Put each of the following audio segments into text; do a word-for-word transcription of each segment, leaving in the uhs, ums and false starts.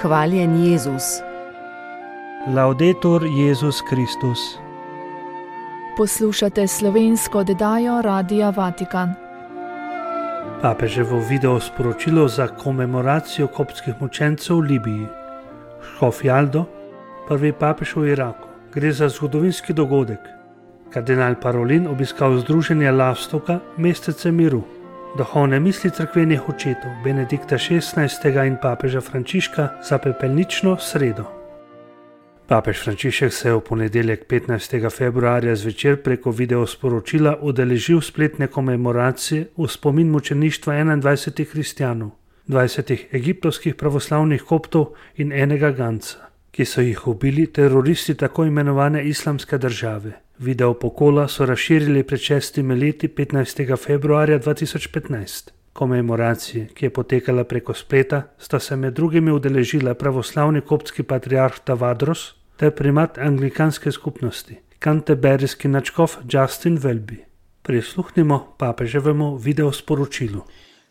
Hvaljen Jezus. Laudetur Jezus Kristus. Poslušate slovensko oddajo Radia Vatikan. Papeževo video sporočilo za komemoracijo koptskih mučencev v Libiji. Škof Jaldo, prvi papež v Iraku. Gre za zgodovinski dogodek. Kardinal Parolin obiskal združenje Lastovka, mestece miru. Duhovne misli cerkvenih očetov Benedikta šestnajstega in papeža Frančiška za pepelnično sredo. Papež Frančišek se je v ponedeljek petnajstega februarja zvečer preko videosporočila udeležil spletne komemoracije v spomin mučeništva enaindvajsetih kristjanov, dvajsetih egiptovskih pravoslavnih koptov in enega ganca, ki so jih ubili teroristi tako imenovane islamske države. Video pokola so razširili pred šestimi leti petnajstega februarja dva tisoč petnajst. Komemoracije, ki je potekala preko spleta, sta se med drugimi udeležila pravoslavni koptski patriarh Tavadros ter primat anglikanske skupnosti, kanterberijski nadškof Justin Welby. Prisluhnimo papeževemu videosporočilu.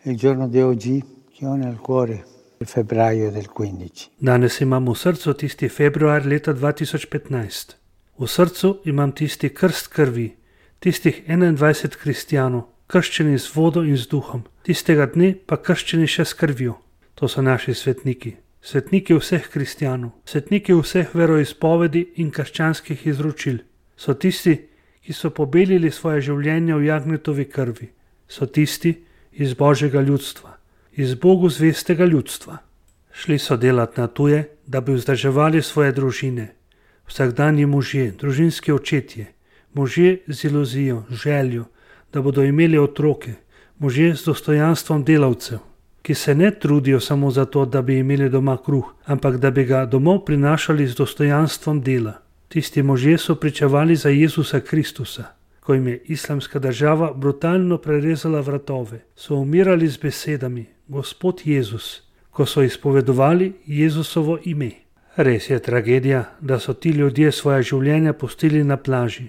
Il giorno di oggi che ho nel cuore il febbraio del quindici. Danes imam v srcu tisti februar leta dva tisoč petnajst. V srcu imam tisti krst krvi, tistih enaindvajset kristjanov, krščeni z vodo in z duhom, tistega dne pa krščeni še s krvjo. To so naši svetniki, svetniki vseh kristjanov, svetniki vseh veroizpovedi in krščanskih izročil. So tisti, ki so pobelili svoje življenje v jagnjetovi krvi. So tisti iz Božjega ljudstva, iz Bogu zvestega ljudstva. Šli so delat na tuje, da bi vzdrževali svoje družine. Vsakdanji možje, družinski očetje, možje z iluzijo, željo, da bodo imeli otroke, možje z dostojanstvom delavcev, ki se ne trudijo samo zato, da bi imeli doma kruh, ampak da bi ga domov prinašali z dostojanstvom dela. Tisti možje so pričevali za Jezusa Kristusa, ko jim je islamska država brutalno prerezala vratove, so umirali z besedami Gospod Jezus, ko so izpovedovali Jezusovo ime. Res je tragedija, da so ti ljudje svoje življenja pustili na plaži.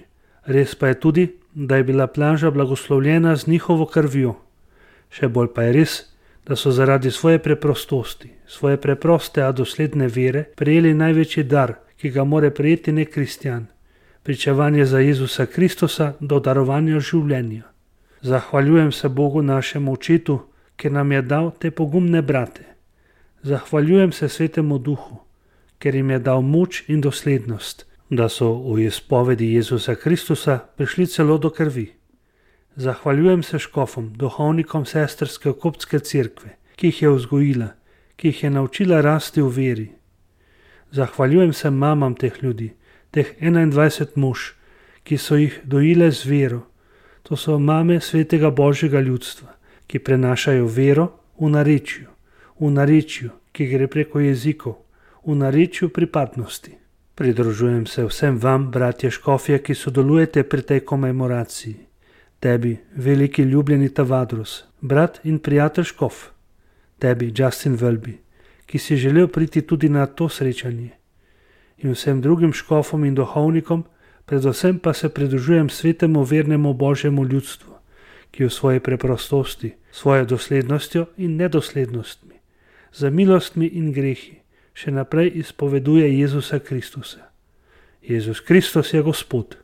Res pa je tudi, da je bila plaža blagoslovljena z njihovo krvjo. Še bolj pa je res, da so zaradi svoje preprostosti, svoje preproste, a dosledne vere prejeli največji dar, ki ga more prejeti nek kristjan. Pričevanje za Jezusa Kristusa do darovanja življenja. Zahvaljujem se Bogu našemu očetu, ker nam je dal te pogumne brate. Zahvaljujem se Svetemu Duhu, ker jim je dal moč in doslednost, da so v izpovedi Jezusa Kristusa prišli celo do krvi. Zahvaljujem se škofom, duhovnikom sestrske koptske cerkve, ki jih je vzgojila, ki jih je naučila rasti v veri. Zahvaljujem se mamam teh ljudi, teh enaindvajset mož, ki so jih dojile z vero. To so mame svetega Božjega ljudstva, ki prenašajo vero v narečju, v narečju, ki gre preko jezikov, v narečju pripadnosti. Pridružujem se vsem vam, bratje škofje, ki sodelujete pri tej komemoraciji. Tebi, veliki ljubljeni Tavadros, brat in prijatelj škof. Tebi, Justin Welby, ki si želel priti tudi na to srečanje. In vsem drugim škofom in duhovnikom, predvsem pa se pridružujem svetemu vernemu Božjemu ljudstvu, ki v svoji preprostosti, svojo doslednostjo in nedoslednostmi, za milostmi in grehi, še naprej izpoveduje Jezusa Kristusa. Jezus Kristus je Gospod.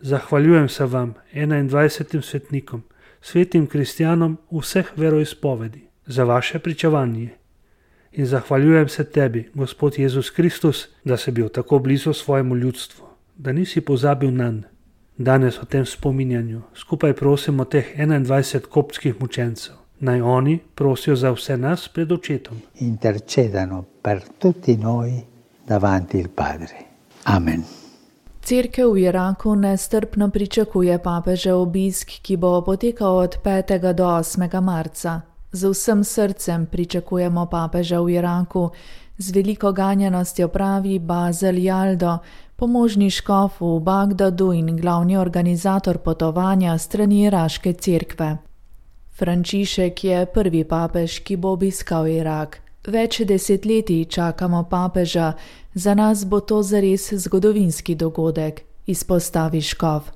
Zahvaljujem se vam, enaindvajsetim svetnikom, svetim kristjanom vseh veroizpovedi, za vaše pričevanje. In zahvaljujem se tebi, Gospod Jezus Kristus, da si bil tako blizu svojemu ljudstvu, da nisi pozabil nanj. Danes o tem spominjanju skupaj prosimo teh enaindvajset koptskih mučencev. Naj oni prosijo za vse nas pred očetom. Intercedano per tutti noi davanti il Padre. Amen. Cerkev v Iraku nestrpno pričakuje papežev obisk, ki bo potekal od petega do osmega marca. Z vsem srcem pričakujemo papeža v Iraku, z veliko ganjenostjo pravi Bazel Jaldo, pomožni škof v Bagdadu in glavni organizator potovanja strani iraške cerkve. Frančišek je prvi papež, ki bo obiskal Irak. Več desetletij čakamo papeža, za nas bo to zares zgodovinski dogodek, izpostavi škof.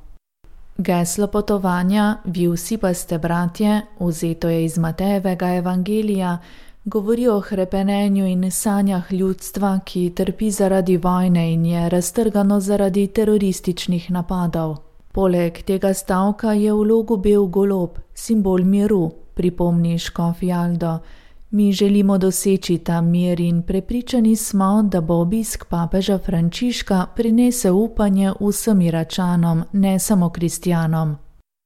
Geslo potovanja, vi vsi pa ste bratje, vzeto je iz Matejevega evangelija, Govori o hrepenenju in sanjah ljudstva, ki trpi zaradi vojne in je raztrgano zaradi terorističnih napadov. Poleg tega stavka je v logu bel golob, simbol miru, pripomni škof Jaldo. Mi želimo doseči ta mir in prepričani smo, da bo obisk papeža Frančiška prinesel upanje vsem Iračanom, ne samo kristjanom.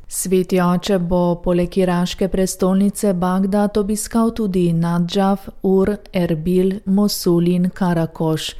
Sveti oče bo poleg iraške prestolnice Bagdad obiskal tudi Nadžaf, Ur, Erbil, Mosul in Karakoš.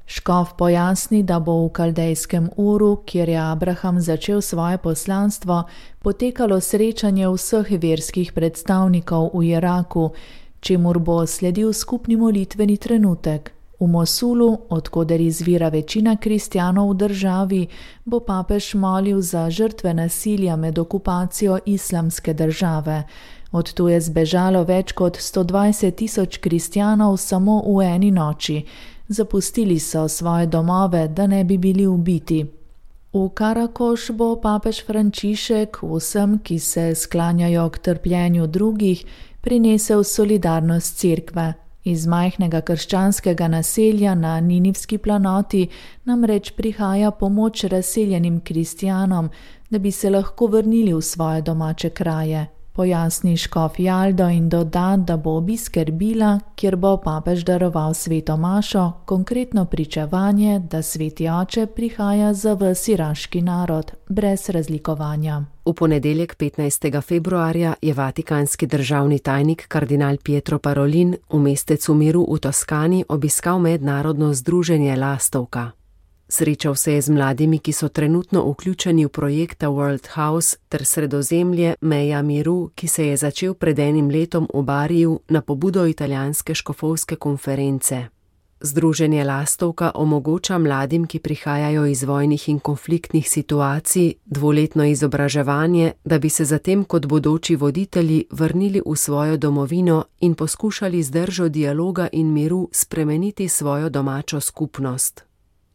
Škof pojasni, da bo v kaldejskem Uru, kjer je Abraham začel svoje poslanstvo, potekalo srečanje vseh verskih predstavnikov v Iraku, čemur bo sledil skupni molitveni trenutek. V Mosulu, odkoder izvira večina kristjanov v državi, bo papež molil za žrtve nasilja med okupacijo islamske države. Od tu je zbežalo več kot sto dvajset tisoč kristjanov samo v eni noči. Zapustili so svoje domove, da ne bi bili ubiti. V Karakoš bo papež Frančišek vsem, ki se sklanjajo k trpljenju drugih, prinesel solidarnost cerkve. Iz majhnega krščanskega naselja na Ninivski planoti namreč prihaja pomoč razseljenim kristjanom, da bi se lahko vrnili v svoje domače kraje. Pojasni škof Jaldo in doda, da bo obisk Erbila, kjer bo papež daroval sveto mašo, konkretno pričevanje, da sveti oče prihaja za ves iraški narod, brez razlikovanja. V ponedeljek petnajstega februarja je vatikanski državni tajnik kardinal Pietro Parolin v mestecu miru v Toskani obiskal mednarodno združenje Lastovka. Srečal se je z mladimi, ki so trenutno vključeni v projekta World House ter Sredozemlje, meja miru, ki se je začel pred enim letom v Bariju na pobudo italijanske škofovske konference. Združenje Lastovka omogoča mladim, ki prihajajo iz vojnih in konfliktnih situacij, dvoletno izobraževanje, da bi se zatem kot bodoči voditelji vrnili v svojo domovino in poskušali z držo dialoga in miru spremeniti svojo domačo skupnost.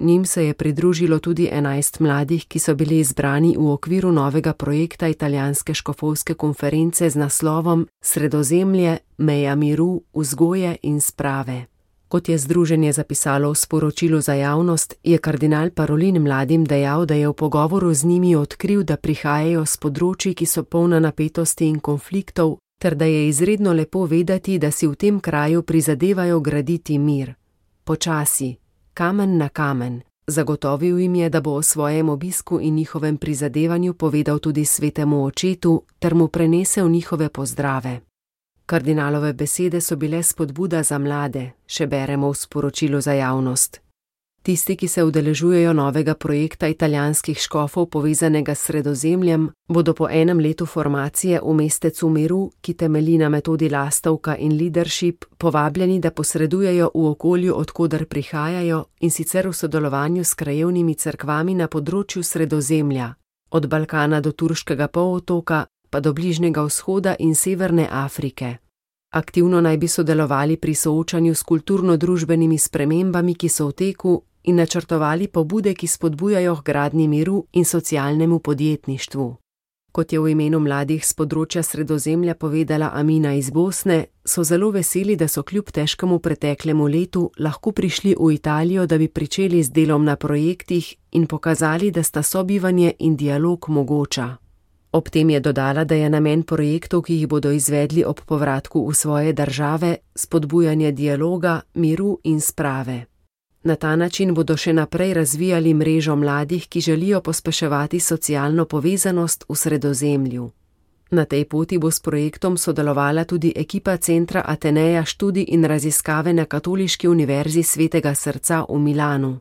Njim se je pridružilo tudi enajst mladih, ki so bili izbrani v okviru novega projekta italijanske škofovske konference z naslovom Sredozemlje, meja miru, vzgoje in sprave. Kot je združenje zapisalo v sporočilu za javnost, je kardinal Parolin mladim dejal, da je v pogovoru z njimi odkril, da prihajajo s področji, ki so polna napetosti in konfliktov, ter da je izredno lepo vedeti, da si v tem kraju prizadevajo graditi mir. Počasi. Kamen na kamen. Zagotovil jim je, da bo o svojem obisku in njihovem prizadevanju povedal tudi svetemu očetu ter mu prenesel njihove pozdrave. Kardinalove besede so bile spodbuda za mlade, še beremo v sporočilu za javnost. Tisti, ki se udeležujejo novega projekta italijanskih škofov povezanega s Sredozemljem, bodo po enem letu formacije v mestecu miru, ki temelji na metodi Lastovka in leadership, povabljeni, da posredujejo v okolju, odkoder prihajajo, in sicer v sodelovanju s krajevnimi cerkvami na področju Sredozemlja, od Balkana do Turškega polotoka, pa do Bližnjega vzhoda in Severne Afrike. Aktivno naj bi sodelovali pri soočanju s kulturno-družbenimi spremembami, ki so v teku, in načrtovali pobude, ki spodbujajo k gradnji miru in socialnemu podjetništvu. Kot je v imenu mladih z področja Sredozemlja povedala Amina iz Bosne, so zelo veseli, da so kljub težkemu preteklemu letu lahko prišli v Italijo, da bi pričeli z delom na projektih in pokazali, da sta sobivanje in dialog mogoča. Ob tem je dodala, da je namen projektov, ki jih bodo izvedli ob povratku v svoje države, spodbujanje dialoga, miru in sprave. Na ta način bodo še naprej razvijali mrežo mladih, ki želijo pospeševati socialno povezanost v Sredozemlju. Na tej poti bo s projektom sodelovala tudi ekipa Centra Ateneja študij in raziskave na Katoliški univerzi Svetega srca v Milanu.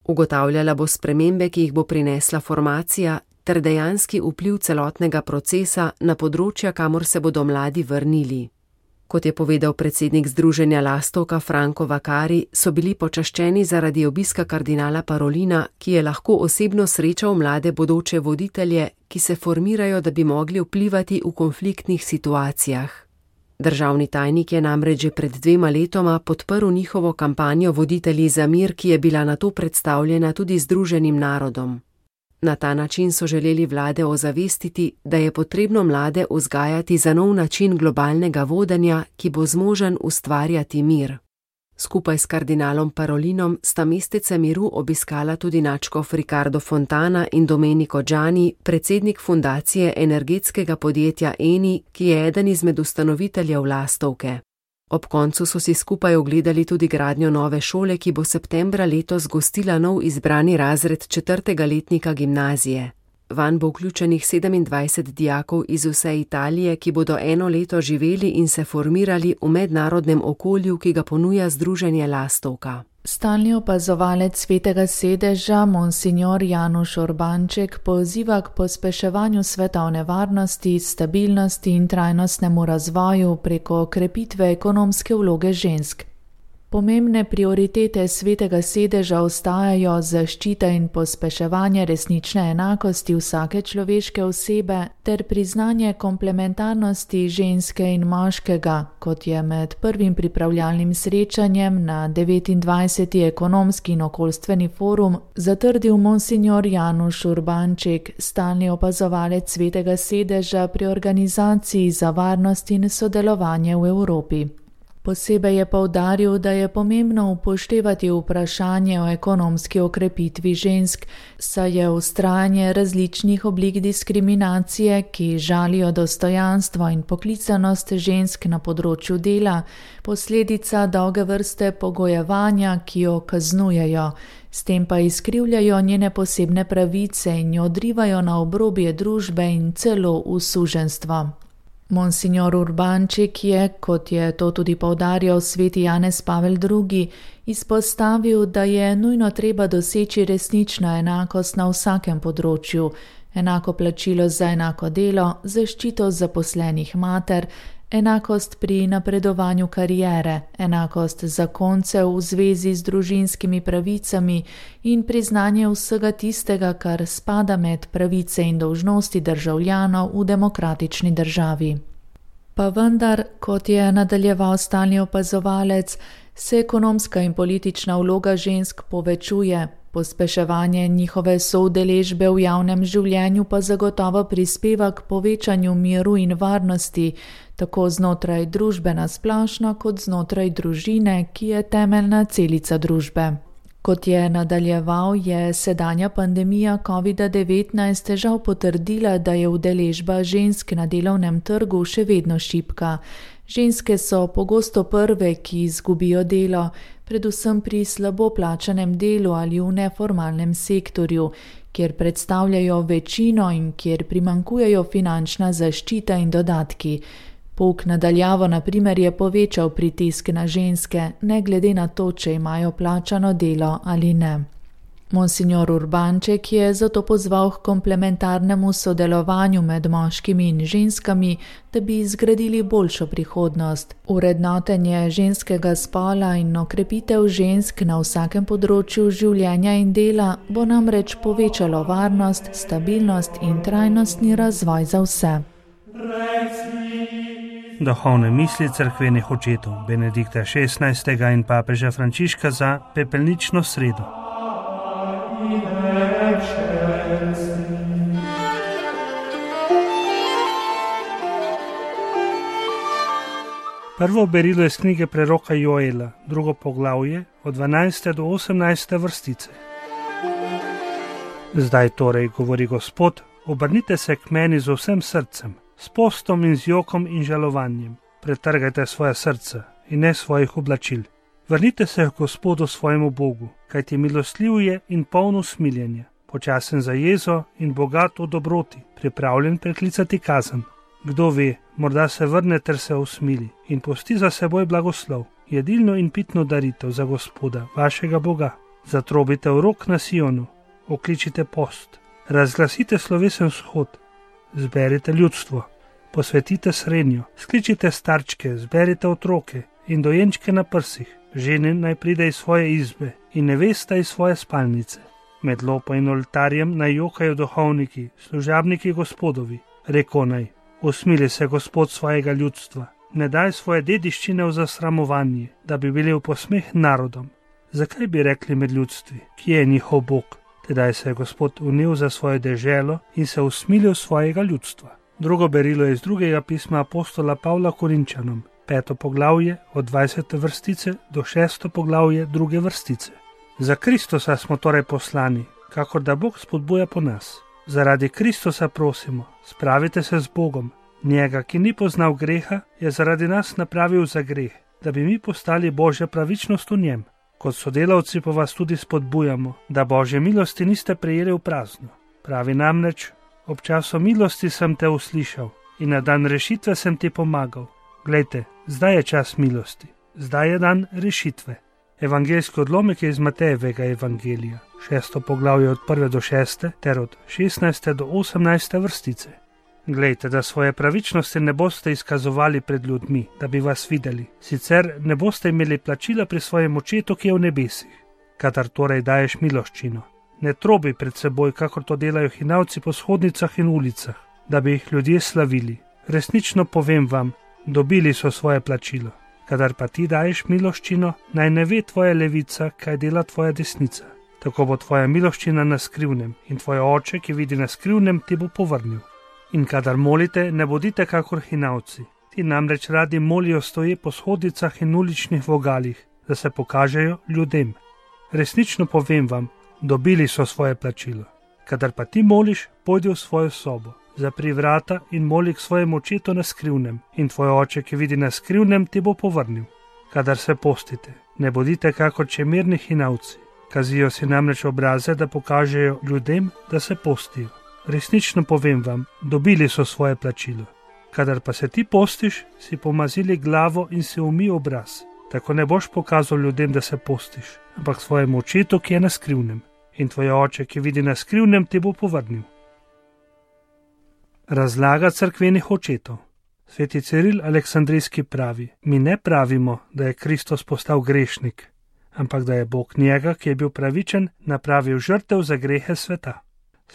Ugotavljala bo spremembe, ki jih bo prinesla formacija, ter dejanski vpliv celotnega procesa na področja, kamor se bodo mladi vrnili. Kot je povedal predsednik združenja Lastovka Franco Vakari, so bili počaščeni zaradi obiska kardinala Parolina, ki je lahko osebno srečal mlade bodoče voditelje, ki se formirajo, da bi mogli vplivati v konfliktnih situacijah. Državni tajnik je namreč že pred dvema letoma podprl njihovo kampanjo Voditelji za mir, ki je bila nato predstavljena tudi Združenim narodom. Na ta način so želeli vlade ozavestiti, da je potrebno mlade vzgajati za nov način globalnega vodenja, ki bo zmožen ustvarjati mir. Skupaj s kardinalom Parolinom sta Mestece miru obiskala tudi nadškof Ricardo Fontana in Domenico Gianni, predsednik fundacije energetskega podjetja Eni, ki je eden izmed ustanoviteljev Lastovke. Ob koncu so si skupaj ogledali tudi gradnjo nove šole, ki bo septembra letos gostila nov izbrani razred četrtega letnika gimnazije. Vanj bo vključenih sedemindvajset dijakov iz vse Italije, ki bodo eno leto živeli in se formirali v mednarodnem okolju, ki ga ponuja združenje Lastovka. Stalni opazovalec Svetega sedeža, monsignor Januš Urbanček, poziva k pospeševanju svetovne varnosti, stabilnosti in trajnostnemu razvoju preko krepitve ekonomske vloge žensk. Pomembne prioritete Svetega sedeža ostajajo zaščita in pospeševanje resnične enakosti vsake človeške osebe ter priznanje komplementarnosti ženske in moškega, kot je med prvim pripravljalnim srečanjem na devetindvajseti ekonomski in okoljstveni forum zatrdil monsignor Januš Urbanček, stalni opazovalec Svetega sedeža pri organizaciji za varnost in sodelovanje v Evropi. Posebej je poudaril, da je pomembno upoštevati vprašanje o ekonomski okrepitvi žensk, saj je vztrajanje različnih oblik diskriminacije, ki žalijo dostojanstvo in poklicanost žensk na področju dela, posledica dolge vrste pogojevanja, ki jo kaznujejo, s tem pa izkrivljajo njene posebne pravice in jo odrivajo na obrobje družbe in celo v suženjstvo. Monsignor Urbanček je, kot je to tudi poudarjal sveti Janez Pavel drugi, izpostavil, da je nujno treba doseči resnično enakost na vsakem področju, enako plačilo za enako delo, zaščito zaposlenih mater, enakost pri napredovanju kariere, enakost zakoncev v zvezi z družinskimi pravicami in priznanje vsega tistega, kar spada med pravice in dolžnosti državljanov v demokratični državi. Pa vendar, kot je nadaljeval stalni opazovalec, se ekonomska in politična vloga žensk povečuje, pospeševanje njihove soudeležbe v javnem življenju pa zagotovo prispeva k povečanju miru in varnosti, tako znotraj družbe nasplošno kot znotraj družine, ki je temeljna celica družbe. Kot je nadaljeval, je sedanja pandemija covida devetnajst žal potrdila, da je udeležba žensk na delovnem trgu še vedno šibka. Ženske so pogosto prve, ki izgubijo delo, predvsem pri slabo plačanem delu ali v neformalnem sektorju, kjer predstavljajo večino in kjer primanjkujejo finančna zaščita in dodatki. Pouk nadaljavo na primer je povečal pritisk na ženske, ne glede na to, če imajo plačano delo ali ne. Monsignor Urbanček je zato pozval k komplementarnemu sodelovanju med moškimi in ženskami, da bi zgradili boljšo prihodnost. Urednotenje ženskega spola in okrepitev žensk na vsakem področju življenja in dela bo namreč povečalo varnost, stabilnost in trajnostni razvoj za vse. Duhovne misli cerkvenih očetov Benedikta šestnajstega in papeža Frančiška za pepelnično sredo. Prvo berilo iz knjige preroka Joela, drugo poglavje, od dvanajste do osemnajste vrstice. Zdaj torej, govori Gospod, obrnite se k meni z vsem srcem, s postom in z jokom in žalovanjem. Pretrgajte svoje srce in ne svojih oblačil. Vrnite se k Gospodu svojemu Bogu, kajti milostljiv je in poln usmiljenja, počasen za jezo in bogat v dobroti, pripravljen preklicati kazen. Kdo ve, morda se vrne ter se usmili in pusti za seboj blagoslov, jedilno in pitno daritev za Gospoda, vašega Boga. Zatrobite v rok na Sionu, okličite post, razglasite slovesen shod, zberite ljudstvo, posvetite srenjo, skličite starčke, zberite otroke in dojenčke na prsih, žene naj pride iz svoje izbe in nevesta iz svoje spalnice. Med lopo in oltarjem naj jokajo duhovniki, služabniki Gospodovi, reko naj, usmili se Gospod svojega ljudstva, ne daj svoje dediščine v zasramovanje, da bi bili v posmeh narodom. Zakaj bi rekli med ljudstvi, kje je njihov Bog? Tedaj se je Gospod unil za svojo deželo in se usmilil svojega ljudstva. Drugo berilo je iz drugega pisma apostola Pavla Korinčanom, peto poglavje od dvajsete vrstice do šesto poglavje druge vrstice. Za Kristusa smo torej poslani, kakor da Bog spodbuja po nas. Zaradi Kristusa prosimo, spravite se z Bogom. Njega, ki ni poznal greha, je zaradi nas napravil za greh, da bi mi postali Božja pravičnost v njem. Kot sodelavci pa vas tudi spodbujamo, da Božje milosti niste prejeli v prazno. Pravi namreč, ob času milosti sem te uslišal in na dan rešitve sem ti pomagal. Glejte, zdaj je čas milosti, zdaj je dan rešitve. Evangeljski odlomek je iz Matejevega evangelija, šesto poglavje od prve do šeste ter od šestnajste do osemnajste vrstice. Glejte, da svoje pravičnosti ne boste izkazovali pred ljudmi, da bi vas videli, sicer ne boste imeli plačila pri svojem očetu, ki je v nebesih. Kadar torej daješ miloščino, ne trobi pred seboj, kakor to delajo hinavci po shodnicah in ulicah, da bi jih ljudje slavili. Resnično povem vam, dobili so svoje plačilo. Kadar pa ti daješ miloščino, naj ne ve tvoja levica, kaj dela tvoja desnica. Tako bo tvoja miloščina na skrivnem in tvoj oče, ki vidi na skrivnem, ti bo povrnil. In kadar molite, ne bodite kakor hinavci. Ti namreč radi molijo stoje po shodnicah in uličnih vogalih, da se pokažejo ljudem. Resnično povem vam, dobili so svoje plačilo. Kadar pa ti moliš, pojdi v svojo sobo, zapri vrata in moli k svojemu očetu na skrivnem, in tvoj oče, ki vidi na skrivnem, ti bo povrnil. Kadar se postite, ne bodite kakor čemerni hinavci. Kazijo si namreč obraze, da pokažejo ljudem, da se postijo. Resnično povem vam, dobili so svoje plačilo. Kadar pa se ti postiš, si pomazili glavo in si umij obraz. Tako ne boš pokazal ljudem, da se postiš, ampak svojemu očetu, ki je na skrivnem. In tvoj oče, ki vidi na skrivnem, ti bo povrnil. Razlaga cerkvenih očetov. Sveti Ciril Aleksandrijski pravi, mi ne pravimo, da je Kristus postal grešnik, ampak da je Bog njega, ki je bil pravičen, napravil žrtev za grehe sveta.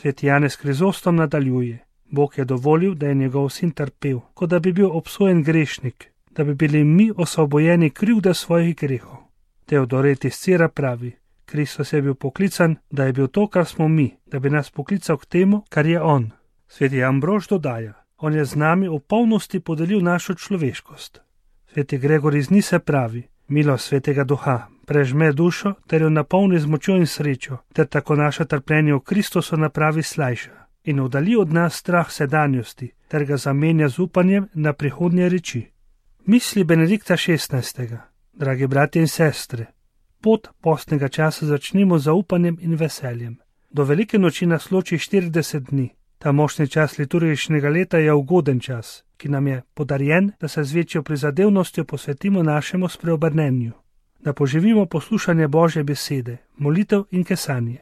Sveti Janez Krizostom nadaljuje, Bog je dovolil, da je njegov sin trpel, kot da bi bil obsojen grešnik, da bi bili mi osvobojeni krivde svojih grehov. Teodoret iz Cira pravi, Kristus je bil poklican, da je bil to, kar smo mi, da bi nas poklical k temu, kar je on. Sveti Ambrož dodaja, on je z nami v polnosti podelil našo človeškost. Sveti Gregor iz Nise pravi, milost Svetega Duha prežme dušo ter jo napolni z močjo in srečo, ter tako naše trpljenje v Kristusu napravi slajša in oddali od nas strah sedanjosti, ter ga zamenja z upanjem na prihodnje reči. Misli Benedikta šestnajstega. Dragi bratje in sestre, pot postnega časa začnimo z zaupanjem in veseljem. Do velike noči nas loči štirideset dni. Ta močni čas liturgičnega leta je ugoden čas, ki nam je podarjen, da se z večjo prizadevnostjo posvetimo našemu spreobrnenju, da poživimo poslušanje Božje besede, molitev in kesanje,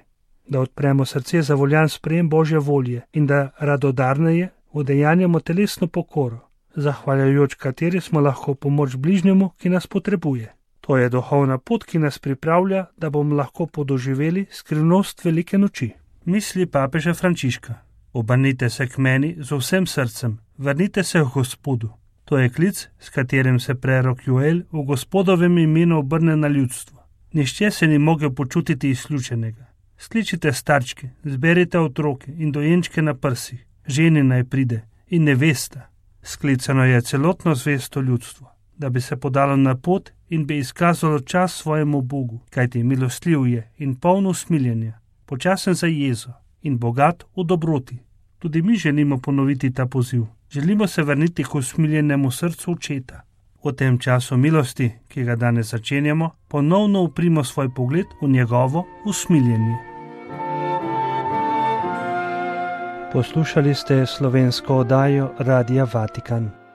da odpremo srce za voljan sprejem Božje volje in da radodarneje udejanjamo telesno pokoro, zahvaljujoč kateri smo lahko pomoč bližnjemu, ki nas potrebuje. To je duhovna pot, ki nas pripravlja, da bomo lahko podoživeli skrivnost velike noči. Misli papeža Frančiška. Obrnite se k meni z vsem srcem, vrnite se k Gospodu. To je klic, s katerim se prerok Joel v Gospodovem imenu obrne na ljudstvo. Nihče se ni mogel počutiti izključenega. Skličite starčke, zberite otroke in dojenčke na prsih, ženi naj pride in nevesta. Sklicano je celotno zvesto ljudstvo, da bi se podalo na pot in bi izkazalo čas svojemu Bogu, kajti milostljiv je in poln usmiljenja, počasen za jezo in bogat v dobroti. Tudi mi želimo ponoviti ta poziv. Želimo se vrniti k usmiljenemu srcu očeta. V tem času milosti, ki ga danes začenjamo, ponovno uprimo svoj pogled v njegovo usmiljenje. Poslušali ste slovensko oddajo Radia Vatikan.